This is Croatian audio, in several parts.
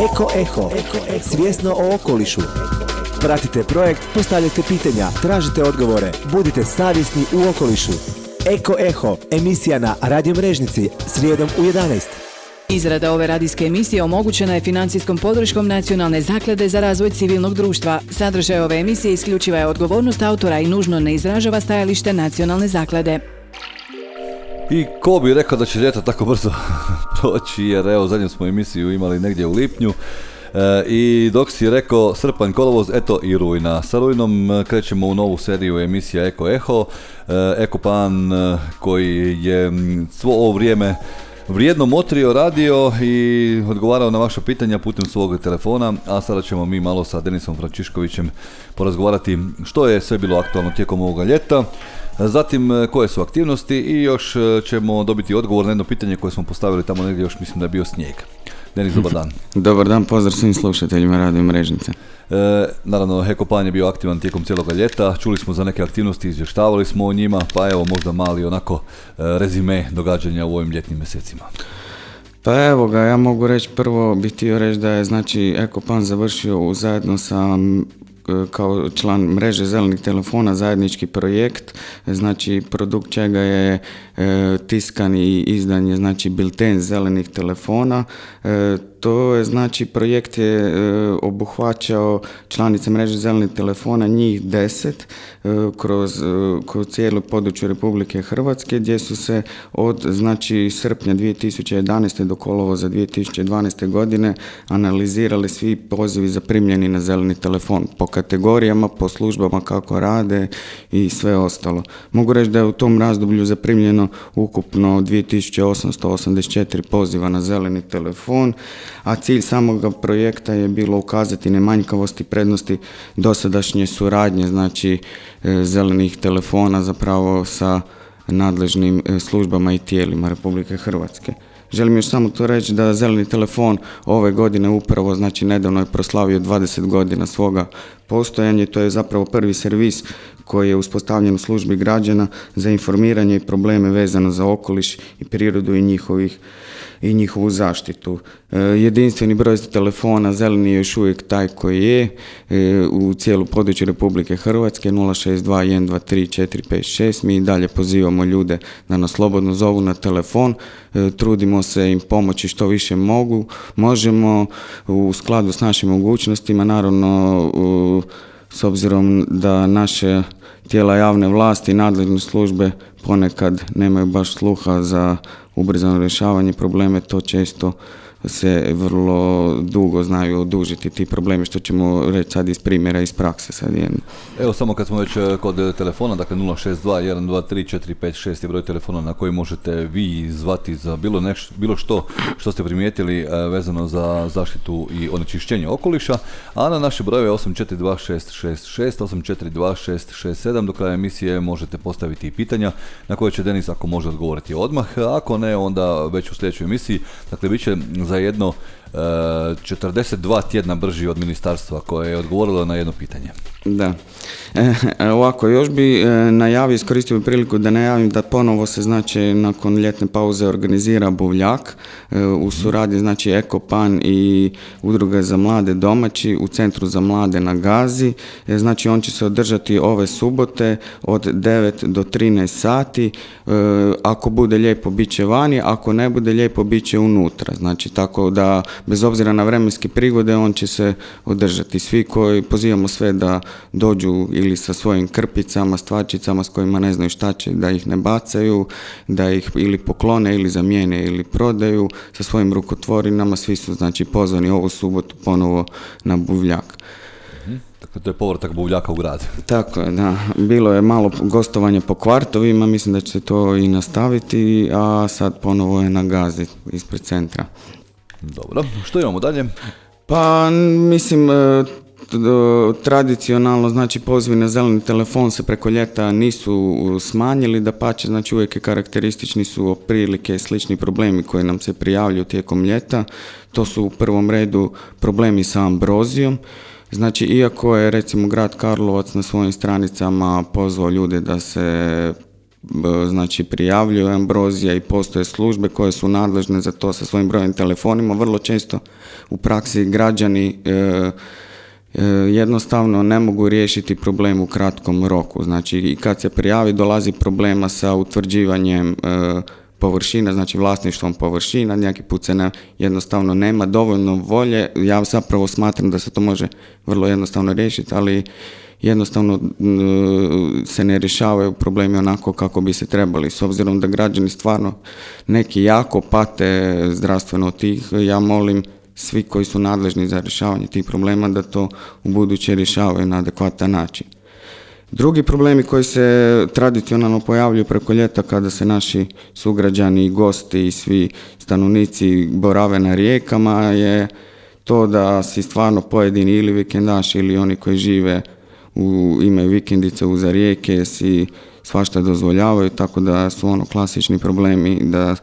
Eko Eho, svjesno o okolišu. Pratite projekt, postavljajte pitanja, tražite odgovore, budite savjesni u okolišu. Eko Eho, emisija na Radio Mrežnici, srijedom u 11. Izrada ove radijske emisije omogućena je financijskom podrškom Nacionalne zaklade za razvoj civilnog društva. Sadržaj ove emisije isključiva je odgovornost autora i nužno ne izražava stajalište Nacionalne zaklade. I ko bi rekao da će ljeto tako brzo proći, jer evo zadnju smo emisiju imali negdje u lipnju. I dok si rekao srpanj, kolovoz, eto i rujna. Sa rujnom krećemo u novu seriju emisija Eko Eho. Ekopan koji je svo ovo vrijeme vrijedno motrio, radio i odgovarao na vaša pitanja putem svog telefona, a sada ćemo mi malo sa Denisom Frančiškovićem porazgovarati što je sve bilo aktualno tijekom ovoga ljeta, zatim koje su aktivnosti i još ćemo dobiti odgovor na jedno pitanje koje smo postavili tamo negdje, još mislim da je bio snijeg. Denis, dobar dan. Dobar dan, pozdrav svim slušateljima Radio Mrežnice. Naravno, Ekopan je bio aktivan tijekom cijeloga ljeta, čuli smo za neke aktivnosti, izvještavali smo o njima, pa evo možda mali onako rezime događanja u ovim ljetnim mjesecima. Pa evo ga, ja mogu reći, prvo bih htio reći da je znači Ekopan završio zajedno sa kao član mreže zelenih telefona zajednički projekt, znači produkt čega je tiskan i izdan je znači bilten zelenih telefona. To je znači projekt je obuhvaćao članice mreže zelenih telefona, njih 10 kroz cijelo područje Republike Hrvatske, gdje su se od znači srpnja 2011. do kolovoza 2012. godine analizirali svi pozivi zaprimljeni na zeleni telefon po kategorijama, po službama kako rade i sve ostalo. Mogu reći da je u tom razdoblju zaprimljeno ukupno 2884 poziva na zeleni telefon, a cilj samog projekta je bilo ukazati na manjkavosti i prednosti dosadašnje suradnje, znači zelenih telefona zapravo sa nadležnim službama i tijelima Republike Hrvatske. Želim još samo to reći da zeleni telefon ove godine upravo, znači nedavno je proslavio 20 godina svoga postojanja. To je zapravo prvi servis koji je uspostavljen u službi građana za informiranje i probleme vezano za okoliš i prirodu i njihovu zaštitu. Jedinstveni broj telefona zeleni je još uvijek taj koji je u cijelu području Republike Hrvatske 062123456. Mi dalje pozivamo ljude da nas slobodno zovu na telefon, trudimo se im pomoći što više možemo u skladu s našim mogućnostima, naravno s obzirom da naše tijela javne vlasti i nadležne službe ponekad nemaju baš sluha za ubrzano rješavanje probleme, to često se vrlo dugo znaju odužiti ti problemi, što ćemo reći sad iz primjera, iz prakse sad jedno. Evo samo kad smo već kod telefona, dakle 062123456 je broj telefona na koji možete vi zvati za bilo što ste primijetili vezano za zaštitu i onečišćenje okoliša, a na naše brojeve 842666, 842667 do kraja emisije možete postaviti i pitanja na koje će Denis, ako može, odgovoriti odmah, ako ne, onda već u sljedećoj emisiji. Dakle, bit će za jedno 42 tjedna brži od ministarstva koje je odgovorilo na jedno pitanje. Da. Ovako, još bi najavio, iskoristio bi priliku da najavim da ponovo se znači nakon ljetne pauze organizira buvljak u suradnji znači Ekopan i Udruga za mlade domaći u Centru za mlade na Gazi. Znači on će se održati ove subote od 9 do 13 sati. Ako bude lijepo bit će vani, ako ne bude lijepo bit će unutra. Znači tako da bez obzira na vremenske prigode on će se održati. Svi koji pozivamo sve da dođu ili sa svojim krpicama, stvačicama s kojima ne znaju šta će, da ih ne bacaju, da ih ili poklone ili zamijene ili prodaju sa svojim rukotvorinama. Svi su znači pozvani ovu subotu ponovo na buvljak. Dakle, to je povratak buvljaka u grad. Tako je, da. Bilo je malo gostovanja po kvartovima, mislim da će se to i nastaviti, a sad ponovo je na Gazi ispred centra. Dobro, što imamo dalje? Pa, mislim, tradicionalno, znači pozivi na zeleni telefon se preko ljeta nisu smanjili, dapače, znači uvijek je karakteristični su otprilike slični problemi koji nam se prijavljuju tijekom ljeta. To su u prvom redu problemi sa ambrozijom. Znači, iako je recimo grad Karlovac na svojim stranicama pozvao ljude da se znači prijavljuju ambrozija i postoje službe koje su nadležne za to sa svojim brojem telefonima. Vrlo često u praksi građani jednostavno ne mogu riješiti problem u kratkom roku. Znači i kad se prijavi dolazi problema sa utvrđivanjem površina, znači vlasništvom površina, neki put se jednostavno nema dovoljno volje. Ja zapravo smatram da se to može vrlo jednostavno riješiti, ali jednostavno se ne rješavaju problemi onako kako bi se trebali. S obzirom da građani stvarno neki jako pate zdravstveno od tih, ja molim svi koji su nadležni za rješavanje tih problema da to u buduće rješavaju na adekvatan način. Drugi problemi koji se tradicionalno pojavljuju preko ljeta kada se naši sugrađani i gosti i svi stanovnici borave na rijekama je to da si stvarno pojedini ili vikendaši ili oni koji žive imaju vikendice uza rijeke si svašta dozvoljavaju, tako da su klasični problemi da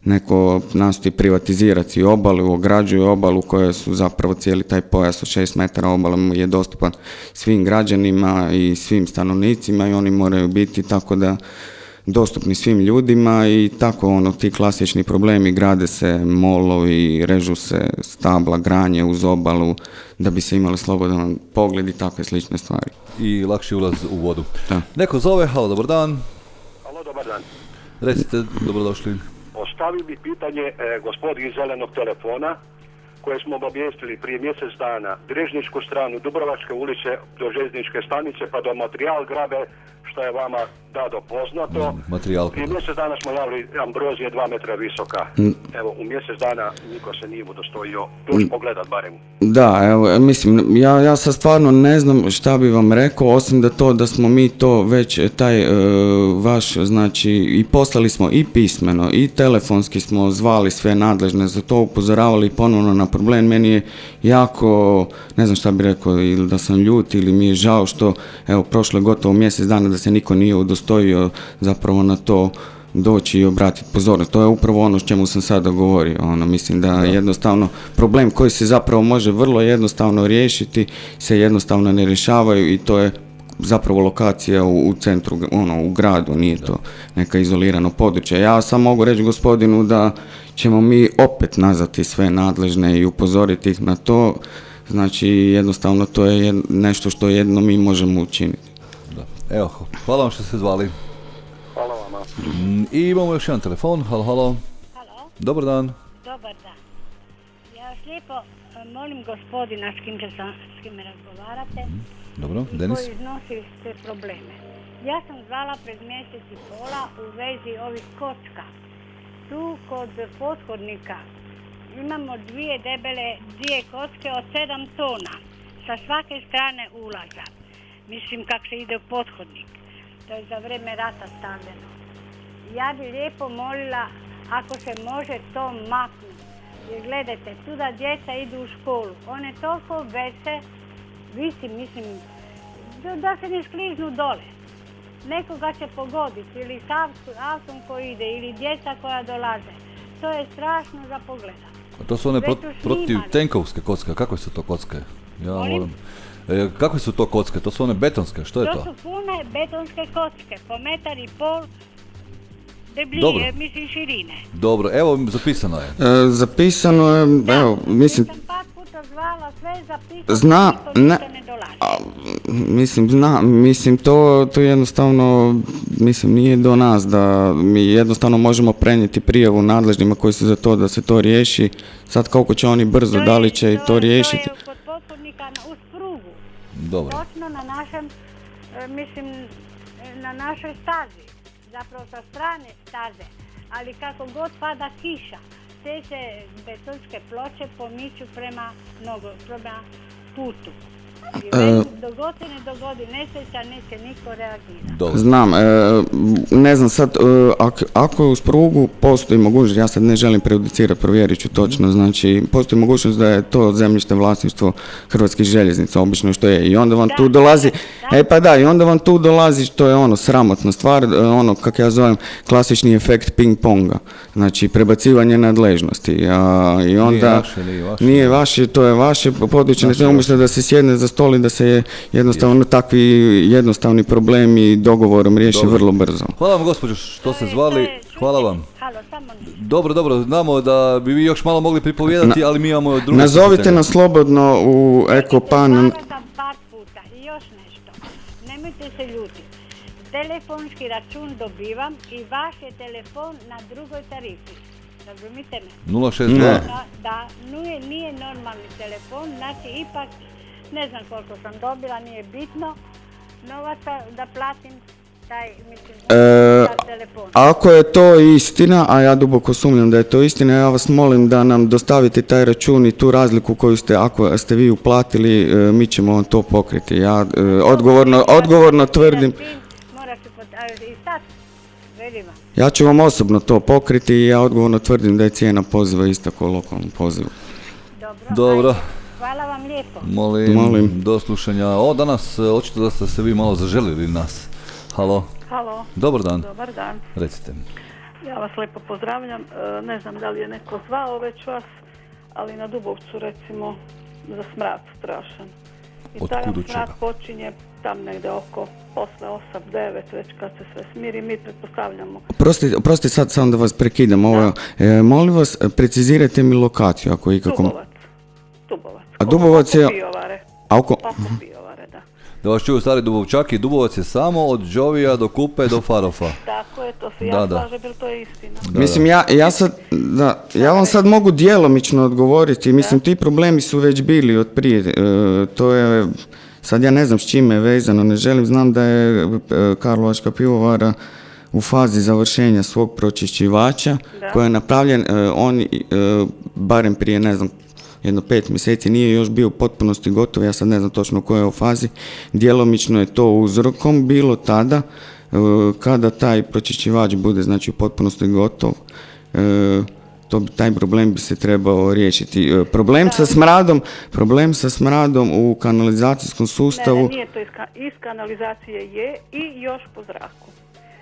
neko nastoji privatizirati obalu, ograđuje obalu koja su zapravo cijeli taj pojas od 6 metara obale je dostupan svim građanima i svim stanovnicima i oni moraju biti tako da dostupni svim ljudima i tako ti klasični problemi, grade se molovi, režu se stabla, granje uz obalu da bi se imali slobodan pogled i takve slične stvari. I lakši ulaz u vodu. Da. Neko zove, halo, dobar dan. Halo, dobar dan. Recite, dobrodošli. Postavio bi pitanje gospodi iz zelenog telefona koje smo obavijestili prije mjesec dana Drežničku stranu Dubrovačke ulice do željezničke stanice pa do Materijal grabe, što je vama dado poznato. Prije mjesec dana smo javili ambrozije 2 metra visoka. Evo, u mjesec dana niko se nije udostojio doći pogledat barem. Da, evo, mislim, ja sad stvarno ne znam šta bi vam rekao, osim da smo mi to već taj vaš, znači, i poslali smo i pismeno, i telefonski smo zvali sve nadležne za to, upozoravali ponovno na problem. Meni je jako, ne znam šta bi rekao, ili da sam ljut, ili mi je žao što, evo, prošlo je gotovo mjesec dana da se niko nije udostojio zapravo na to doći i obratiti pozornost. To je upravo ono s čemu sam sada govorio. Mislim da jednostavno problem koji se zapravo može vrlo jednostavno riješiti se jednostavno ne rješavaju i to je zapravo lokacija u centru, u gradu, nije to neka izolirano područje. Ja sam mogu reći gospodinu da ćemo mi opet nazvati sve nadležne i upozoriti ih na to. Znači jednostavno to je nešto što jedno mi možemo učiniti. Da. Evo, hvala vam što ste zvali. Hvala vama. I imamo još jedan telefon. Halo. Halo. Dobar dan. Dobar dan. Ja vas lijepo molim gospodina s kim razgovarate. Dobro, Denis. Koji iznosi te probleme. Ja sam zvala pred mjesec i pola u vezi ovih kocka. Tu kod pothodnika imamo dvije kocke od 7 tona sa svake strane ulaza. Mislim kako se ide u pothodnik. To je za vrijeme rata stavljeno. Ja bi lijepo molila ako se može to maknuti. Jer gledajte, tu da djeca idu u školu. One toliko mislim, da se ne skliznu dole. Nekoga će pogoditi ili s autom koji ide ili djeca koja dolaze. To je strašno za pogledat. A to su one protiv tenkovske kocke. Kakve su to kocke? Kakve su to kocke? To su one betonske, što je to? To su pune betonske kocke, po 1,5 m debljine, mislim širine. Dobro, evo zapisano je. Zapisano je, evo, mislim... Ja sam par puta zvala, sve zapisano, niko ne dolazi. Mislim, to jednostavno, nije do nas da mi jednostavno možemo prenijeti prijavu nadležnima koji su za to da se to riješi. Sad koliko će oni brzo, da li će i to riješiti? To je kod pothodnika uz prugu. Dobro. Točno na našem, na našoj stazi. Zapravo sa strane staze. Ali kako god pada kiša, te se betonske ploče pomiču prema putu. I dogod se ne dogodi nesreća, neće niko reagirati. Znam, ne znam sad, ako je uz prugu postoji mogućnost, ja sad ne želim prejudicirati, provjerit ću točno, znači postoji mogućnost da je to zemljište vlasništvo Hrvatskih željeznica, obično što je, i onda vam tu dolazi, Pa da, i onda vam tu dolazi, to je ono, sramotna stvar, ono, kako ja zovem, klasični efekt ping-ponga. Znači, prebacivanje nadležnosti. I onda, nije vaše, to je vaše područje, ne umjesto da se sjedne za stol i da se jednostavno takvi jednostavni problemi dogovorom riješi vrlo brzo. Hvala vam, gospođo, što ste zvali. Hvala vam. Dobro, znamo da bi vi još malo mogli pripovijedati, ali mi imamo druge... Nazovite nas slobodno u Ekopan. Hvala sam par puta i još nešto. Nemojte se ljutiti. Telefonski račun dobivam i vaš je telefon na drugoj tarifi. Razumite me? 062. Da, nije normalni telefon, znači ipak ne znam koliko sam dobila, nije bitno novaca da platim taj, mislim, telefon. Ako je to istina, a ja duboko sumnjam da je to istina, ja vas molim da nam dostavite taj račun i tu razliku koju ste, ako ste vi uplatili, mi ćemo vam to pokriti. Ja odgovorno tvrdim... Ja ću vam osobno to pokriti i ja odgovorno tvrdim da je cijena poziva ista kao lokalnom pozivu. Dobro. Hvala vam lijepo. Molim. Do slušanja. Danas očito da ste se vi malo zaželili nas. Halo. Dobar dan. Dobar dan. Recite. Ja vas lijepo pozdravljam. Ne znam da li je neko zvao već vas, ali na Dubovcu recimo za smrad strašan. I taj smrad počinje tam negdje oko posle 8-9, već kad se sve smiri, mi pretpostavljamo. Prosti, sad samo da vas prekidam. Molim vas, precizirajte mi lokaciju ako ikako... Dubovac. A Dubovac je... Oko Pijovare, da. Da vas čuju stari Dubovčaki, Dubovac je samo od Đovija do Kupe do Farofa. Tako je, to se ja slažem, jer to je istina. Mislim, ja vam sad mogu djelomično odgovoriti. Mislim, ti problemi su već bili od prije. To je... Sad ja ne znam s čime je vezano, ne želim, znam da je Karlovačka pivovara u fazi završenja svog pročišćivača koji je napravljen, on barem prije, ne znam, 5 mjeseci nije još bio u potpunosti gotov, ja sad ne znam točno u kojoj fazi, djelomično je to uzrokom bilo tada, kada taj pročišćivač bude znači u potpunosti gotov, taj problem bi se trebao riješiti. Problem sa smradom u kanalizacijskom sustavu... Ne, nije to iz kanalizacije je i još po zraku.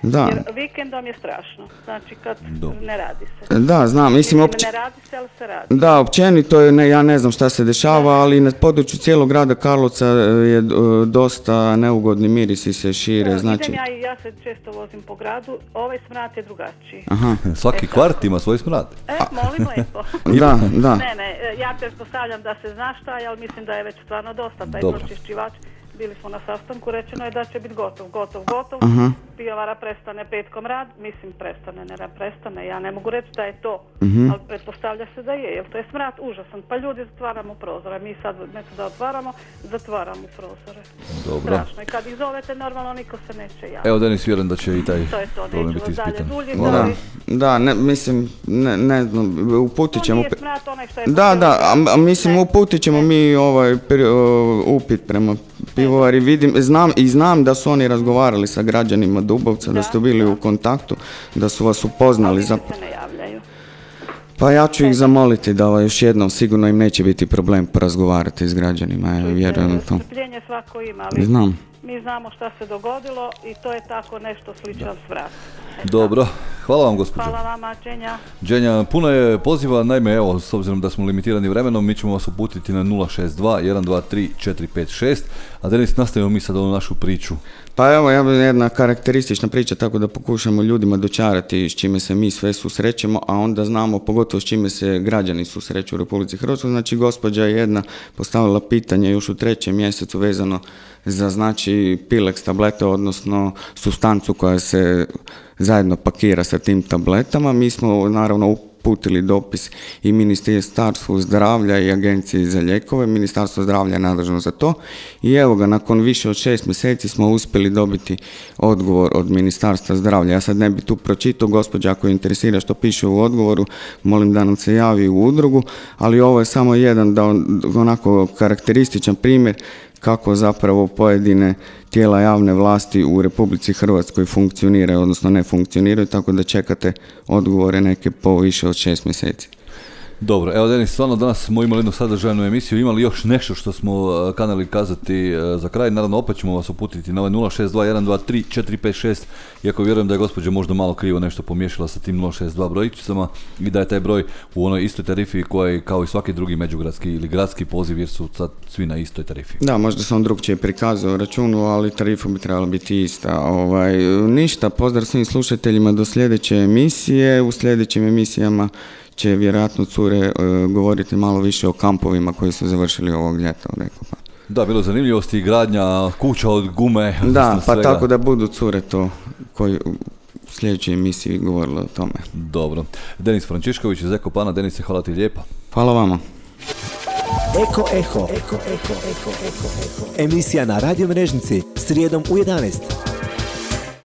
Da. Jer vikendom je strašno, znači kad ne radi se. Da, znam, mislim... Ne radi se, ali se radi. Da, općenito je, ja ne znam šta se dešava, ali na području cijelog grada Karlovca je dosta neugodni mirisi se šire, znači... Ja se često vozim po gradu, ovaj smrad je drugačiji. Aha. Svaki kvart ima svoj smrad. Molim lijepo. Da. Ne, ja pretpostavljam da se zna šta, ali mislim da je već stvarno dosta taj pročišćivač. Bili smo na sastanku, rečeno je da će biti gotov. Pivovara prestane petkom rad, mislim prestane, ja ne mogu reći da je to, ali pretpostavlja se da je, jer to je smrad užasan, pa ljudi zatvaramo prozore, mi sad nešto da zatvaramo prozore. Dobro. Strašno, i kad ih zovete, normalno niko se neće javiti. Evo, Denis, vjerujem da će i taj problem biti ispitan. Da, mislim, ne znam, uputit ćemo... To nije smrad onaj što je... Da, mislim, uputit ćemo mi upit prema pivovari, znam da su oni razgovarali sa građanima Dubovca, da ste bili u kontaktu, da su vas upoznali. Ali se ne javljaju. Pa ja ću ih zamoliti da još jednom, sigurno im neće biti problem porazgovarati s građanima, vjerujem to. Strpljenje svako ima, ali znam. Mi znamo šta se dogodilo i to je tako nešto slično smrad. Dobro, hvala vam gospođo. Hvala vama, Đenja, puno je poziva, naime, evo, s obzirom da smo limitirani vremenom, mi ćemo vas uputiti na 062 123 456, a Denis, nastavimo mi sad ovu našu priču. Pa evo, jedna karakteristična priča, tako da pokušamo ljudima dočarati s čime se mi sve susrećemo, a onda znamo pogotovo s čime se građani susreću u Republici Hrvatskoj. Znači, gospođa je jedna postavila pitanje još u 3. mjesecu vezano za znači Pilex tablete, odnosno supstancu koja se zajedno pakira sa tim tabletama. Mi smo naravno uputili dopis i Ministarstvu zdravlja i Agenciji za lijekove. Ministarstvo zdravlja je nadležno za to i evo ga, nakon više od 6 mjeseci smo uspjeli dobiti odgovor od Ministarstva zdravlja. Ja sad ne bi tu pročitao, gospođa ako je interesira što piše u odgovoru, molim da nam se javi u udrugu, ali ovo je samo jedan onako karakterističan primjer kako zapravo pojedine tijela javne vlasti u Republici Hrvatskoj funkcioniraju, odnosno ne funkcioniraju, tako da čekate odgovore neke po više od 6 mjeseci. Dobro, evo Denis, stvarno danas smo imali jednu sadržajnu emisiju, imali još nešto što smo kanali kazati za kraj, naravno opet ćemo vas uputiti na ovaj 062-123-456, iako vjerujem da je gospođa možda malo krivo nešto pomiješala sa tim 062 brojčicama i da je taj broj u onoj istoj tarifi koja je kao i svaki drugi međugradski ili gradski poziv jer su sad svi na istoj tarifi. Da, možda sam drugčije prikazao računu, ali tarifa bi trebala biti ista. Ništa, pozdrav svim slušateljima do sljedeće emisije, u sljedećim emisijama će vjerojatno cure govoriti malo više o kampovima koji su završili ovog ljeta. Da, bilo zanimljivosti i gradnja kuća od gume. Da, pa svega. Tako da budu cure to koji u sljedećoj emisiji govorili o tome. Dobro. Denis Frančišković iz Eko Pana. Denise, hvala ti lijepa. Hvala vama. Eko Eho. Emisija na Radio Mrežnici srijedom u 11.